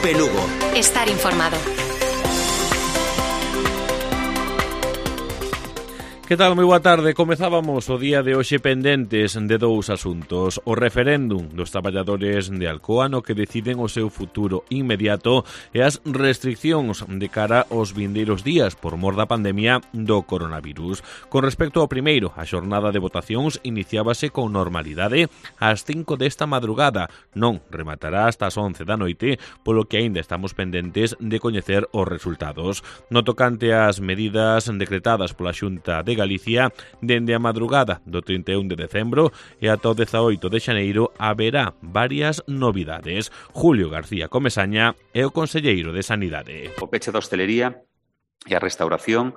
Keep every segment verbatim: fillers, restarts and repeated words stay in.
Cope Lugo. Estar informado. Que tal? Moi boa tarde. Comezábamos o día de hoxe pendentes de dous asuntos. O referéndum dos traballadores de Alcoa no que deciden o seu futuro inmediato e as restriccións de cara aos vindeiros días por mor da pandemia do coronavirus. Con respecto ao primeiro, a xornada de votacións iniciábase con normalidade ás cinco desta madrugada. Non rematará hasta as once da noite, polo que aínda estamos pendentes de coñecer os resultados. No tocante ás medidas decretadas pola Xunta de Galicia, dende a madrugada do trinta e un de decembro e ata o dezaoito de xaneiro haberá varias novidades. Julio García Comesaña é o conselleiro de Sanidade. O peche da hostelería e a restauración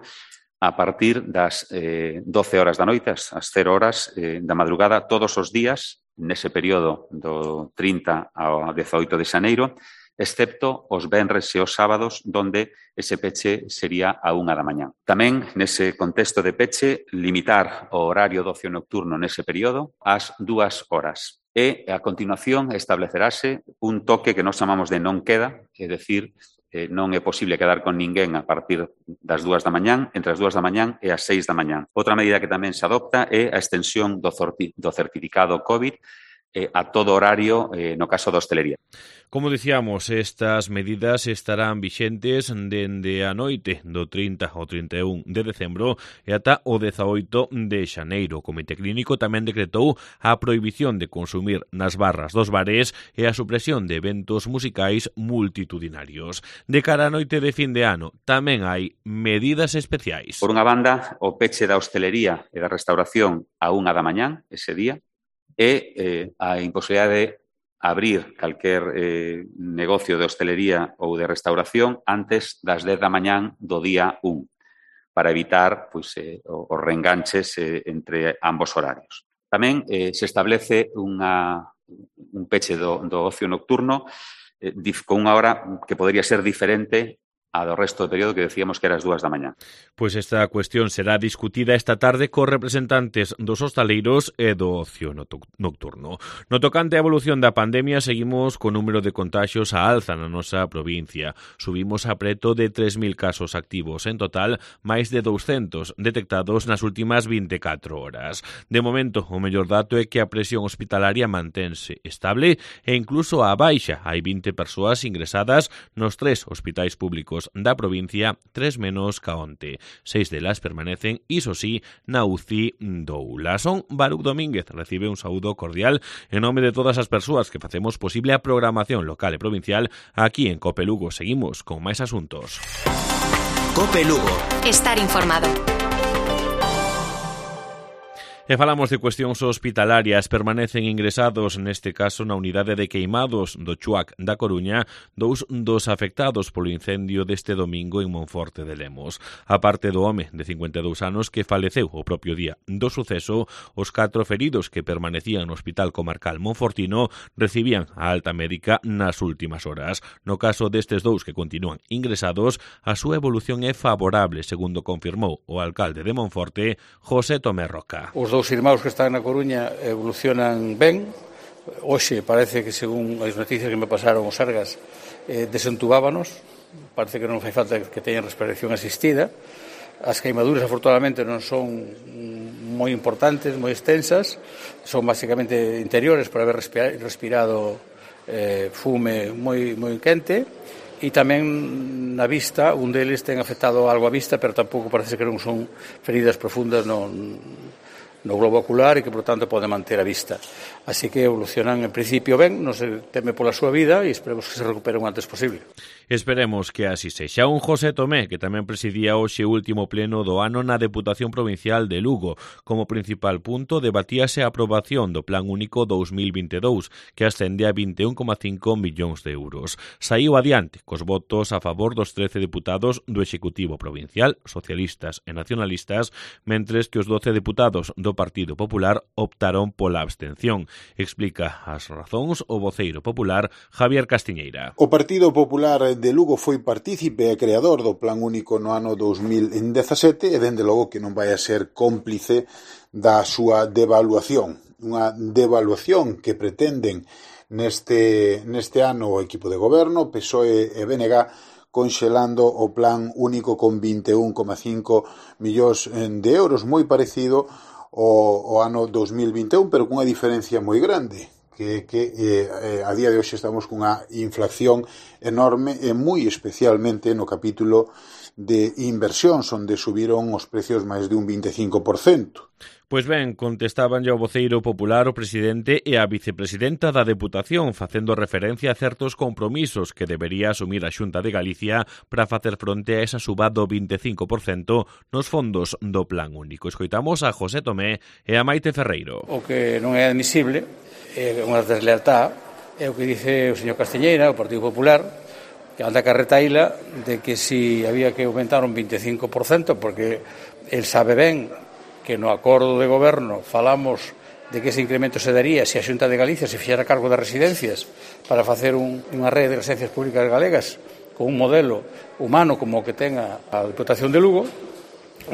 a partir das eh, doce horas da noite, as cero horas eh, da madrugada, todos os días, nese período do trinta ao dezaoito de xaneiro, excepto os venres e os sábados, donde ese peche sería a unha da mañá. Tamén, nese contexto de peche, limitar o horario do ocio nocturno nese período ás dúas horas. E, a continuación, establecerase un toque que nós chamamos de non queda, é dicir, eh, non é posible quedar con ninguén a partir das dúas da mañán, entre as dúas da mañán e as seis da mañán. Outra medida que tamén se adopta é a extensión do, do certificado COVID eh, a todo horario eh, no caso da hostelería. Como dicíamos, estas medidas estarán vixentes dende a noite do trinta ao trinta e un de decembro e ata o dezaoito de xaneiro. O Comité Clínico tamén decretou a prohibición de consumir nas barras dos bares e a supresión de eventos musicais multitudinarios. De cara á noite de fin de ano, tamén hai medidas especiais. Por unha banda, o peche da hostelería e da restauración a unha da mañán, ese día, e eh, a imposibilidade de abrir calquer eh, negocio de hostelería ou de restauración antes das dez da mañán do día un, para evitar pois, eh, os reenganches eh, entre ambos horarios. Tamén eh, se establece unha, un peche do, do ocio nocturno eh, dif, con unha hora que podría ser diferente a do resto do período que decíamos que era as dúas da mañá. Pois esta cuestión será discutida esta tarde cos representantes dos hostaleiros e do ocio nocturno. No tocante á evolución da pandemia, seguimos co número de contaxios a alza na nosa provincia. Subimos a preto de tres mil casos activos. En total, máis de douscentos detectados nas últimas vinte e catro horas. De momento, o mellor dato é que a presión hospitalaria mantense estable e incluso a baixa. Hai vinte persoas ingresadas nos tres hospitais públicos da provincia, tres menos ca onte. Seis delas permanecen, iso sí, na U C I do Oula. Son Baruc Domínguez, recibe un saúdo cordial en nome de todas as persoas que facemos posible a programación local e provincial. Aquí en Cope Lugo seguimos con máis asuntos. Cope Lugo. Estar informado. E falamos de cuestións hospitalarias. Permanecen ingresados, neste caso, na unidade de queimados do Chuac da Coruña, dous dos afectados polo incendio deste domingo en Monforte de Lemos. A parte do home de cincuenta e dous anos que faleceu o propio día do suceso, os catro feridos que permanecían no Hospital Comarcal Monfortino recibían a alta médica nas últimas horas. No caso destes dous que continúan ingresados, a súa evolución é favorable, segundo confirmou o alcalde de Monforte, José Tomé Roca. Os dous irmãos que están na Coruña evolucionan ben. Hoxe parece que, según as noticias que me pasaron os Sergas, eh, desentubábanos. Parece que non fai falta que teñan respiración asistida. As queimaduras, afortunadamente, non son moi importantes, moi extensas. Son basicamente interiores por haber respirado eh, fume moi, moi quente. E tamén na vista, un deles ten afectado algo a vista, pero tampouco parece que non son feridas profundas no, no globo ocular e que, por tanto, pode manter a vista. Así que evolucionan, en principio, ben, non se teme pola súa vida e esperemos que se recuperen o antes posible. Esperemos que así sexa. Un José Tomé, que tamén presidía hoxe o último pleno do ano na Deputación Provincial de Lugo. Como principal punto, debatíase a aprobación do Plan Único dous mil vinte e dous, que ascende a vinte e un coma cinco millóns de euros. Saíu adiante cos votos a favor dos trece deputados do Executivo Provincial, socialistas e nacionalistas, mentres que os doce deputados do Partido Popular optaron pola abstención. Explica as razóns o voceiro popular Javier Castiñeira. O Partido Popular de Lugo foi partícipe e creador do Plan Único no ano dous mil dezasete e, dende logo, que non vai a ser cómplice da súa devaluación. Unha devaluación que pretenden Neste, neste ano o equipo de goberno, P S O E e B N G, conxelando o plan único con vinte e un coma cinco millóns de euros, moi parecido ao, ao ano dos mil vinte e un, pero cunha diferencia moi grande, que, que eh, a día de hoxe estamos cunha inflación enorme e moi especialmente no capítulo de inversións, onde subiron os precios máis de un vinte e cinco por cento. Pois ben, contestaban ao voceiro popular, o presidente e a vicepresidenta da Deputación, facendo referencia a certos compromisos que debería asumir a Xunta de Galicia para facer fronte a esa suba do vinte e cinco por cento nos fondos do Plan Único. Escoitamos a José Tomé e a Maite Ferreiro. O que non é admisible é unha deslealtad, é o que dice o señor Castiñeira, o Partido Popular, que anda a carretaíla de que si había que aumentar un vinte e cinco por cento, porque el sabe ben que no acordo de goberno falamos de que ese incremento se daría se a Xunta de Galicia se fixera cargo das residencias para facer un, unha rede de residencias públicas galegas con un modelo humano como o que ten a, a Diputación de Lugo,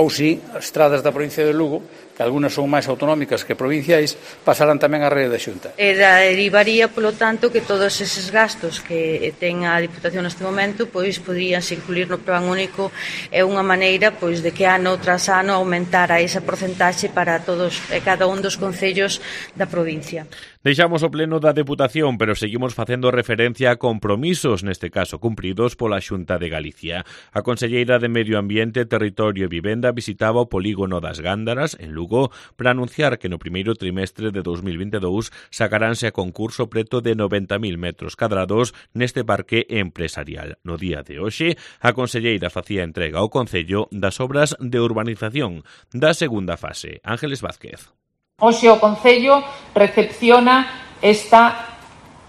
ou si as estradas da provincia de Lugo, que algunhas son máis autonómicas que provinciais, pasarán tamén á rede da Xunta. E derivaría, polo tanto, que todos eses gastos que ten a Diputación neste momento pois poderíanse incluir no Plan Único. É unha maneira pois de que ano tras ano aumentara esa porcentaxe para todos e cada un dos concellos da provincia. Deixamos o pleno da Deputación, pero seguimos facendo referencia a compromisos, neste caso cumpridos pola Xunta de Galicia. A conselleira de Medio Ambiente, Territorio e Vivenda visitaba o polígono das Gándaras, en Lugo, para anunciar que no primeiro trimestre de dos mil vinte e dous sacaránse a concurso preto de noventa mil metros cadrados neste parque empresarial. No día de hoxe, a conselleira facía entrega ao Concello das obras de urbanización da segunda fase. Ángeles Vázquez. Hoxe o Concello recepciona esta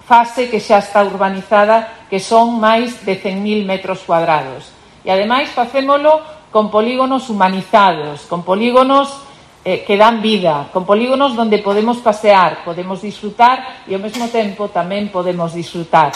fase que xa está urbanizada, que son máis de cen mil metros cuadrados. E ademais facémolo con polígonos humanizados, con polígonos eh, que dan vida, con polígonos donde podemos pasear, podemos disfrutar e ao mesmo tempo tamén podemos disfrutar.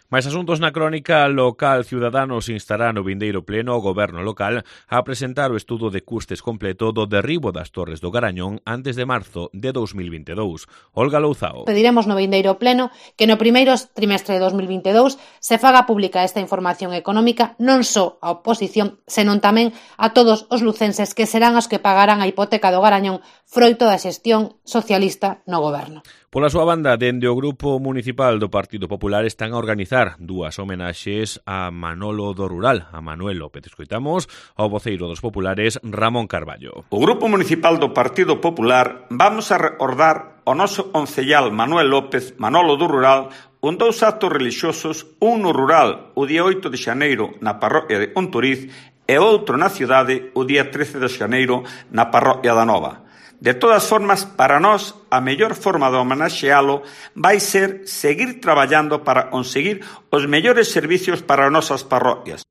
Mais asuntos na crónica local, Ciudadanos instará no vindeiro pleno ao goberno local a presentar o estudo de custes completo do derribo das Torres do Garañón antes de marzo de dos mil vinte e dous. Olga Louzao. Pediremos no vindeiro pleno que no primeiro trimestre de dos mil vinte e dous se faga pública esta información económica non só a oposición, senón tamén a todos os lucenses que serán os que pagarán a hipoteca do Garañón froito da xestión socialista no goberno. Pola súa banda, dende o Grupo Municipal do Partido Popular están a organizar dúas homenaxes a Manolo do Rural, a Manuel López. Escoitamos ao voceiro dos populares, Ramón Carballo. O Grupo Municipal do Partido Popular vamos a recordar o noso oncellal Manuel López, Manolo do Rural, un dous actos relixiosos, un no rural o día oito de xaneiro na parroquia de Onturiz e outro na cidade o día trece de xaneiro na parroquia da Nova. De todas formas, para nós, a mellor forma de homenaxealo vai ser seguir traballando para conseguir os mellores servicios para as nosas parroquias.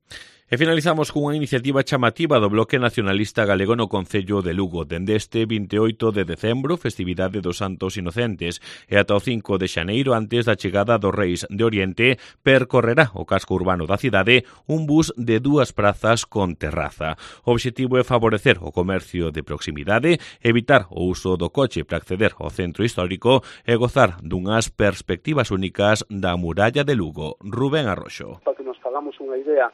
E finalizamos cunha iniciativa chamativa do Bloque Nacionalista Galego no Concello de Lugo. Dende este vinte e oito de decembro, festividade dos Santos Inocentes, e ata o cinco de xaneiro, antes da chegada dos Reis de Oriente, percorrerá o casco urbano da cidade un bus de dúas prazas con terraza. O obxectivo é favorecer o comercio de proximidade, evitar o uso do coche para acceder ao centro histórico e gozar dunhas perspectivas únicas da muralla de Lugo. Rubén Arroxo. Para que nos fagamos unha idea,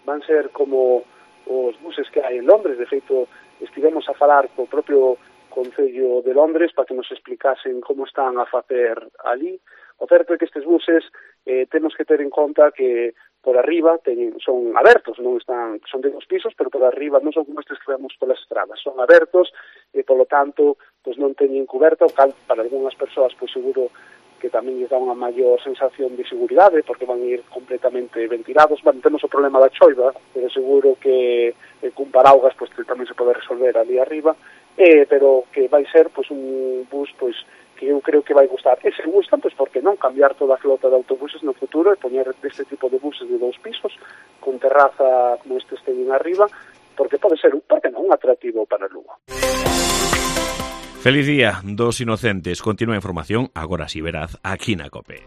van ser como os buses que hai en Londres. De feito, estivemos a falar co propio Concello de Londres para que nos explicasen como están a facer ali. O certo é que estes buses eh, temos que ter en conta que por arriba teñen, son abertos, non están, son de dos pisos, pero por arriba non son como estes que vemos polas estradas, son abertos e, polo tanto, pues non teñen coberta, o cal para algunhas persoas, pois seguro que tamén lles dá unha maior sensación de seguridade, porque van a ir completamente ventilados. Bueno, temos o problema da choiva, pero seguro que eh, cun paraugas pues, tamén se pode resolver ali arriba, eh, pero que vai ser pues, un bus pues, que eu creo que vai gustar. E se gustan, pues, porque non cambiar toda a flota de autobuses no futuro e poñer este tipo de buses de dous pisos, con terraza como estes teñen arriba, porque pode ser, porque non, un atractivo para Lugo. Feliz día dos inocentes. Continúa a información, agora si veraz, aquí na COPE.